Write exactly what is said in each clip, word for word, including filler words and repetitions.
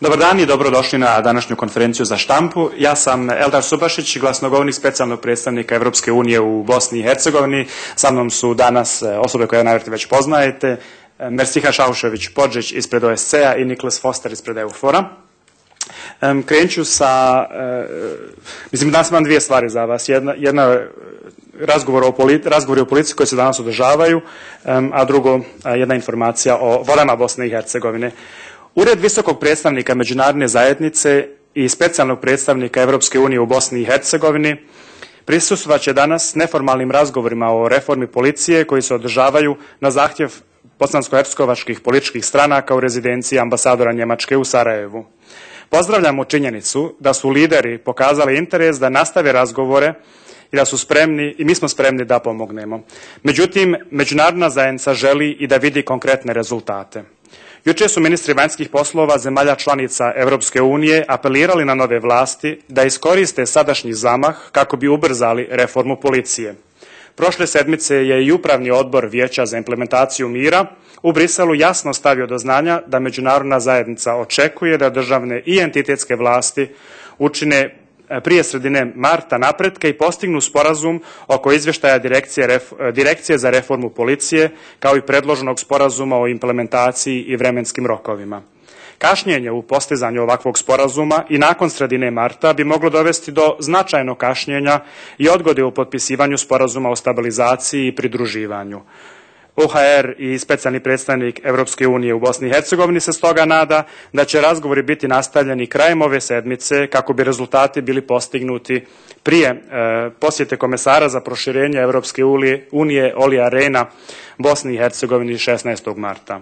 Dobar dan i dobrodošli na današnju konferenciju za štampu. Ja sam Eldar Subašić, glasnogovornik specijalnog predstavnika Evropske unije u Bosni i Hercegovini. Sa mnom su danas osobe koje najvjerojatnije već poznajete, Mersiha Šaušević-Podžić ispred O S C-a i Niklas Foster ispred EUFOR-a. Krenut ću sa, mislim danas imam dvije stvari za vas. Jedna, jedna razgovor o politi, razgovori o politici koji se danas održavaju, a drugo jedna informacija o vodama Bosne i Hercegovine. Ured visokog predstavnika međunarodne zajednice i specijalnog predstavnika Evropske unije u Bosni i Hercegovini prisustvovat će danas neformalnim razgovorima o reformi policije koji se održavaju na zahtjev bosansko-hercegovačkih političkih stranaka u rezidenciji ambasadora Njemačke u Sarajevu. Pozdravljamo činjenicu da su lideri pokazali interes da nastave razgovore i da su spremni, i mi smo spremni da pomognemo. Međutim, međunarodna zajednica želi i da vidi konkretne rezultate. Jučer su ministri vanjskih poslova zemalja članica Evropske unije apelirali na nove vlasti da iskoriste sadašnji zamah kako bi ubrzali reformu policije. Prošle sedmice je i Upravni odbor Vijeća za implementaciju mira u Briselu jasno stavio do znanja da međunarodna zajednica očekuje da državne i entitetske vlasti učine prije sredine marta napretke i postignu sporazum oko izvještaja direkcije, direkcije za reformu policije kao i predloženog sporazuma o implementaciji i vremenskim rokovima. Kašnjenje u postizanju ovakvog sporazuma i nakon sredine marta bi moglo dovesti do značajnog kašnjenja i odgode u potpisivanju sporazuma o stabilizaciji i pridruživanju. O H R i specijalni predstavnik Evropske unije u Bosni i Hercegovini se stoga nada da će razgovori biti nastavljeni krajem ove sedmice kako bi rezultati bili postignuti prije e, posjete komesara za proširenje Evropske unije Olija Rehna Bosni i Hercegovini šesnaestog marta.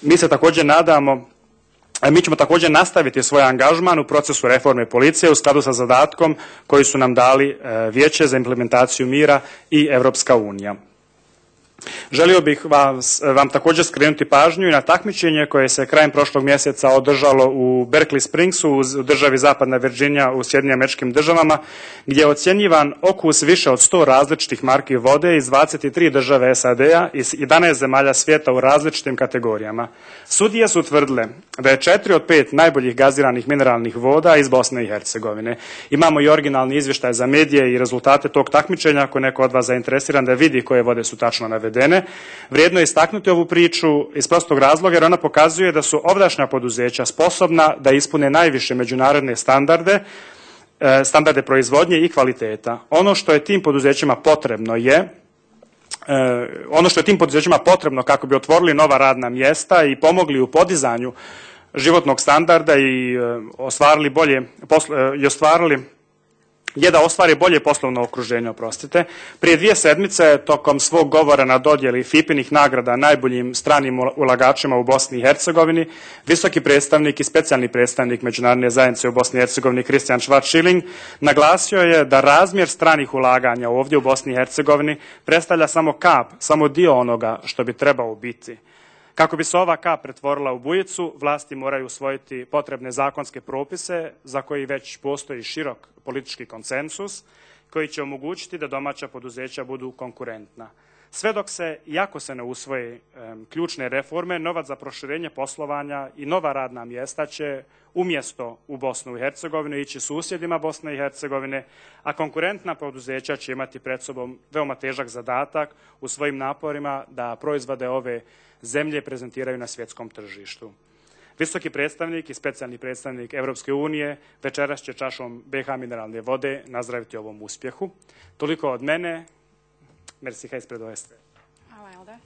Mi se također nadamo Mi ćemo također nastaviti svoj angažman u procesu reforme policije u skladu sa zadatkom koji su nam dali Vijeće za implementaciju mira i Evropska unija. Želio bih vas, vam također skrenuti pažnju i na takmičenje koje se krajem prošlog mjeseca održalo u Berkeley Springsu u državi Zapadna Virginija u Sjedinjenim Američkim Državama, gdje je ocjenjivan okus više od sto različitih marki vode iz dvadeset tri države S A D-a i jedanaest zemalja svijeta u različitim kategorijama. Sudije su tvrdile da je četiri od pet najboljih gaziranih mineralnih voda iz Bosne i Hercegovine. Imamo i originalni izvještaj za medije i rezultate tog takmičenja ako je neko od vas zainteresiran da vidi koje vode su tačno navedene. Vrijedno je istaknuti ovu priču iz prostog razloga jer ona pokazuje da su ovdašnja poduzeća sposobna da ispune najviše međunarodne standarde, standarde proizvodnje i kvaliteta. Ono što je tim poduzećima potrebno je ono što je tim poduzećima potrebno kako bi otvorili nova radna mjesta i pomogli u podizanju životnog standarda i ostvarili bolje i ostvarili je da ostvari bolje poslovno okruženje, oprostite. Prije dvije sedmice, tokom svog govora na dodjeli F I P inih nagrada najboljim stranim ulagačima u Bosni i Hercegovini, visoki predstavnik i specijalni predstavnik Međunarodne zajednice u Bosni i Hercegovini Christian Schwarz-Schilling naglasio je da razmjer stranih ulaganja ovdje u Bosni i Hercegovini predstavlja samo kap, samo dio onoga što bi trebao biti. Kako bi se ova kap pretvorila u bujicu, vlasti moraju usvojiti potrebne zakonske propise za koji već postoji širok politički konsensus koji će omogućiti da domaća poduzeća budu konkurentna. Sve dok se, iako se ne usvoje um, ključne reforme, novac za proširenje poslovanja i nova radna mjesta će umjesto u Bosnu i Hercegovinu ići susjedima Bosne i Hercegovine, a konkurentna poduzeća će imati pred sobom veoma težak zadatak u svojim naporima da proizvode ove zemlje prezentiraju na svjetskom tržištu. Visoki predstavnik i specijalni predstavnik Evropske unije večeras će čašom B H mineralne vode nazdraviti ovom uspjehu. Toliko od mene. Mersiha ispred O S C. Hvala, Eldar.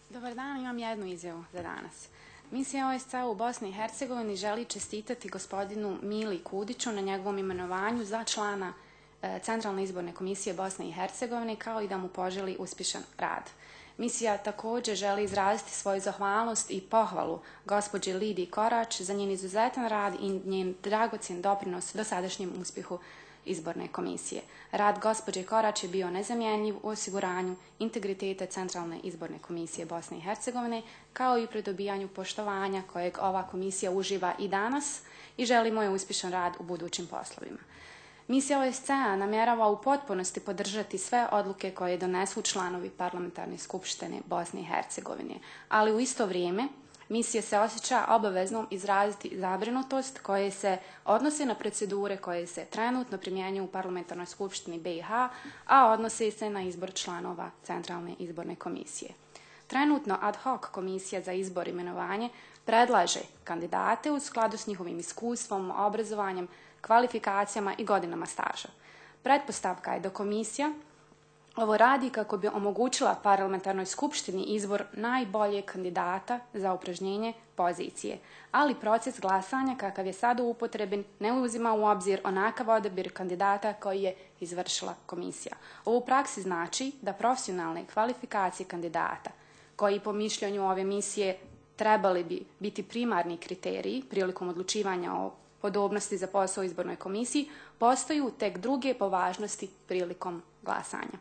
Dobar dan, imam jednu izjavu za danas. Misija O S C u Bosni i Hercegovini želi čestitati gospodinu Mili Kudiću na njegovom imenovanju za člana e, Centralne izborne komisije Bosne i Hercegovine, kao i da mu poželi uspješan rad. Misija također želi izraziti svoju zahvalnost i pohvalu gospođi Lidiji Korač za njen izuzetan rad i njen dragocjen doprinos dosadašnjem uspjehu izborne komisije. Rad gospođe Korač je bio nezamjenjiv u osiguranju integriteta Centralne izborne komisije Bosne i Hercegovine, kao i pri dobijanju poštovanja kojeg ova komisija uživa i danas i želimo joj uspješan rad u budućim poslovima. Misija O S C-a namjerava u potpunosti podržati sve odluke koje donesu članovi Parlamentarne skupštine Bosne i Hercegovine, ali u isto vrijeme misija se osjeća obaveznom izraziti zabrinutost koje se odnose na procedure koje se trenutno primjenjuju u Parlamentarnoj skupštini B i H, a odnose se na izbor članova Centralne izborne komisije. Trenutno ad hoc komisija za izbor i imenovanje predlaže kandidate u skladu s njihovim iskustvom, obrazovanjem, kvalifikacijama i godinama staža. Pretpostavka je da komisija ovo radi kako bi omogućila Parlamentarnoj skupštini izbor najboljeg kandidata za upražnjenje pozicije, ali proces glasanja kakav je sada upotrebljen ne uzima u obzir onakav odabir kandidata koji je izvršila komisija. Ovo u praksi znači da profesionalne kvalifikacije kandidata, koji po mišljenju ove misije trebali bi biti primarni kriteriji prilikom odlučivanja o podobnosti za posao u izbornoj komisiji, postaju tek druge po važnosti prilikom glasanja.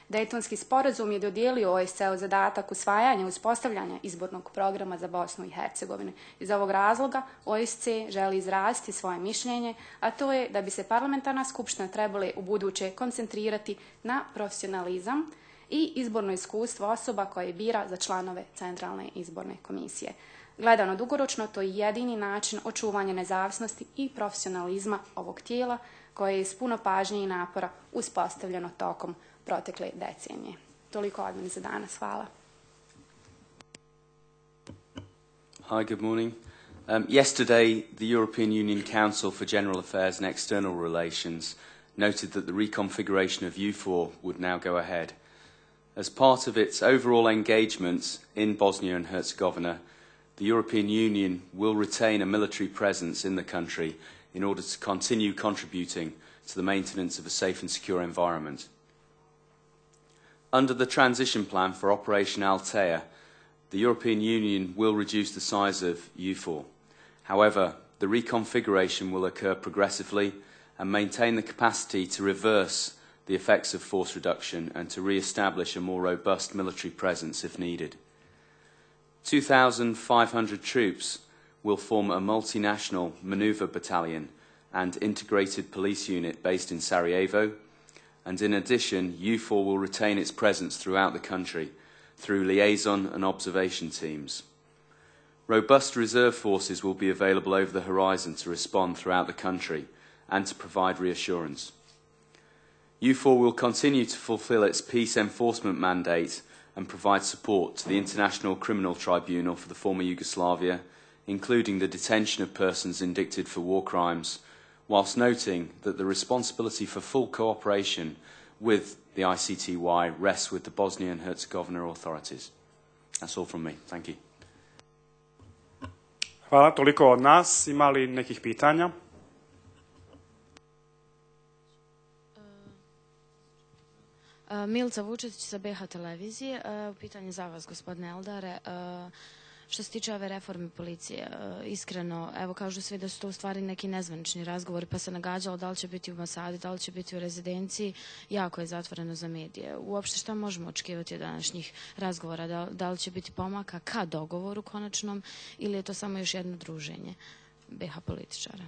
Dejtonski sporazum je dodijelio O S C E-u zadatak usvajanja i uspostavljanja izbornog programa za Bosnu i Hercegovinu. Iz ovog razloga O S C E želi izraziti svoje mišljenje, a to je da bi se parlamentarna skupština trebala u buduće koncentrirati na profesionalizam i izborno iskustvo osoba koje bira za članove Centralne izborne komisije. Gledano dugoročno, to je jedini način očuvanja nezavisnosti i profesionalizma ovog tijela koje je s puno pažnje i napora uspostavljeno tokom protekle decenije. Toliko od mene za danas. Hvala. Hi, good morning. Um, yesterday, the European Union Council for General Affairs and External Relations noted that the reconfiguration of U four would now go ahead. As part of its overall engagements in Bosnia and Herzegovina, the European Union will retain a military presence in the country in order to continue contributing to the maintenance of a safe and secure environment. Under the transition plan for Operation Althea, the European Union will reduce the size of U four. However, the reconfiguration will occur progressively and maintain the capacity to reverse the effects of force reduction and to re-establish a more robust military presence if needed. two thousand five hundred troops will form a multinational manoeuvre battalion and integrated police unit based in Sarajevo, and in addition, U four will retain its presence throughout the country through liaison and observation teams. Robust reserve forces will be available over the horizon to respond throughout the country and to provide reassurance. U four will continue to fulfil its peace enforcement mandate and provide support to the International Criminal Tribunal for the former Yugoslavia, including the detention of persons indicted for war crimes, whilst noting that the responsibility for full cooperation with the I C T Y rests with the Bosnia and Herzegovina authorities. That's all from me. Thank you. Hvala, toliko od nas. Ima li nekih pitanja? Milica Vučetić sa B H televizije. Pitanje za vas, gospodine Eldare. Što se tiče ove reforme policije, iskreno, evo kažu svi da su to u stvari neki nezvanični razgovori, pa se nagađalo da li će biti u Mosadi, da li će biti u rezidenciji, jako je zatvoreno za medije. Uopšte šta možemo očekivati od današnjih razgovora? Da, da li će biti pomaka ka dogovoru konačnom ili je to samo još jedno druženje B H političara?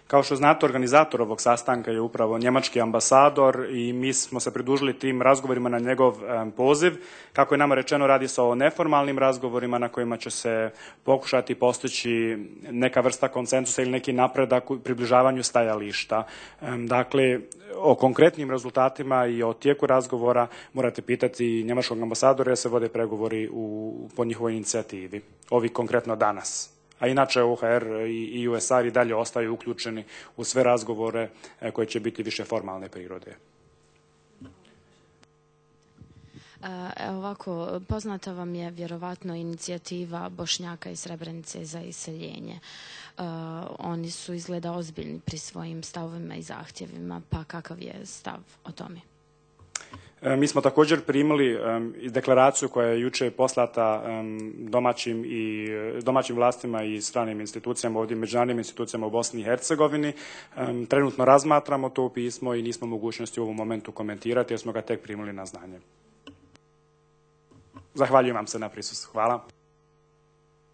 Kao što znate, organizator ovog sastanka je upravo njemački ambasador i mi smo se pridružili tim razgovorima na njegov poziv. Kako je nama rečeno, radi se o neformalnim razgovorima na kojima će se pokušati postići neka vrsta konsenzusa ili neki napredak u približavanju stajališta. Dakle, o konkretnim rezultatima i o tijeku razgovora morate pitati njemačkog ambasadora jer se vode pregovori u, po njihovoj inicijativi. Ovi konkretno danas. A inače O H R i U S R i dalje ostaju uključeni u sve razgovore koje će biti više formalne prirode. Evo ovako, poznata vam je vjerovatno inicijativa Bošnjaka iz Srebrenice za iseljenje. Oni su izgleda ozbiljni pri svojim stavovima i zahtjevima, pa kakav je stav o tome? Mi smo također primili deklaraciju koja je juče poslata domaćim, i, domaćim vlastima i stranim institucijama, ovdje međunarodnim institucijama u Bosni i Hercegovini. Trenutno razmatramo to pismo i nismo mogućnosti u ovom momentu komentirati jer smo ga tek primili na znanje. Zahvaljujem vam se na prisustvu. Hvala.